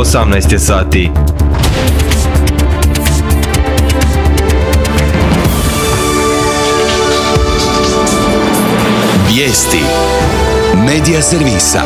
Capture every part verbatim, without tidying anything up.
osamnaest je sati. Vijesti Medija servisa.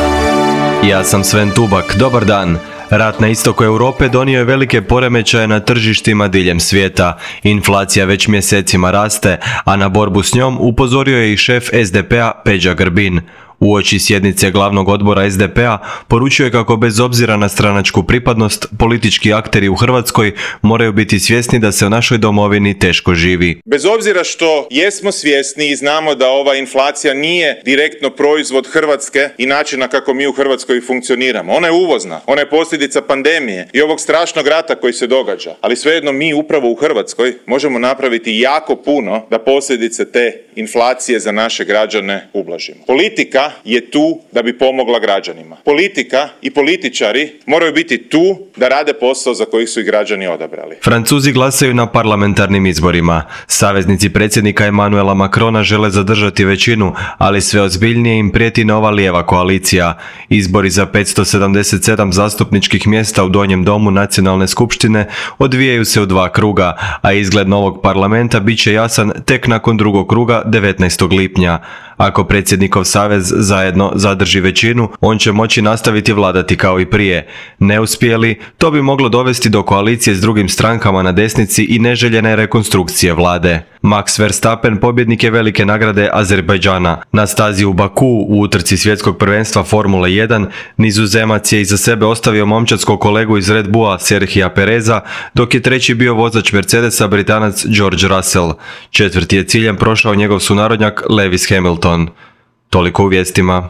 Ja sam Sven Tubak, dobar dan. Rat na istoku Europe donio je velike poremećaje na tržištima diljem svijeta. Inflacija već mjesecima raste, a na borbu s njom upozorio je i šef es de pe a Peđa Grbin. Uoči sjednice glavnog odbora es de pe a poručio je kako bez obzira na stranačku pripadnost, politički akteri u Hrvatskoj moraju biti svjesni da se u našoj domovini teško živi. Bez obzira što jesmo svjesni i znamo da ova inflacija nije direktno proizvod Hrvatske i načina kako mi u Hrvatskoj funkcioniramo. Ona je uvozna, ona je posljedica pandemije i ovog strašnog rata koji se događa. Ali svejedno mi upravo u Hrvatskoj možemo napraviti jako puno da posljedice te inflacije za naše građane ublažimo. Politika je tu da bi pomogla građanima. Politika i političari moraju biti tu da rade posao za koji su ih građani odabrali. Francuzi glasaju na parlamentarnim izborima. Saveznici predsjednika Emmanuela Macrona žele zadržati većinu, ali sve ozbiljnije im prijeti nova lijeva koalicija. Izbori za petsto sedamdeset sedam zastupničkih mjesta u Donjem domu Nacionalne skupštine odvijaju se u dva kruga, a izgled novog parlamenta bit će jasan tek nakon drugog kruga devetnaestog lipnja. Ako predsjednikov savez zajedno zadrži većinu, on će moći nastaviti vladati kao i prije. Ne uspije li, to bi moglo dovesti do koalicije s drugim strankama na desnici i neželjene rekonstrukcije vlade. Max Verstappen pobjednik je velike nagrade Azerbajdžana. Na stazi u Baku u utrci svjetskog prvenstva Formule jedan Nizozemac je iza sebe ostavio momčadskog kolegu iz Red Bulla Serhija Pereza, dok je treći bio vozač Mercedesa Britanac George Russell. Četvrti je ciljem prošao njegov sunarodnjak Lewis Hamilton. Toliko u vijestima.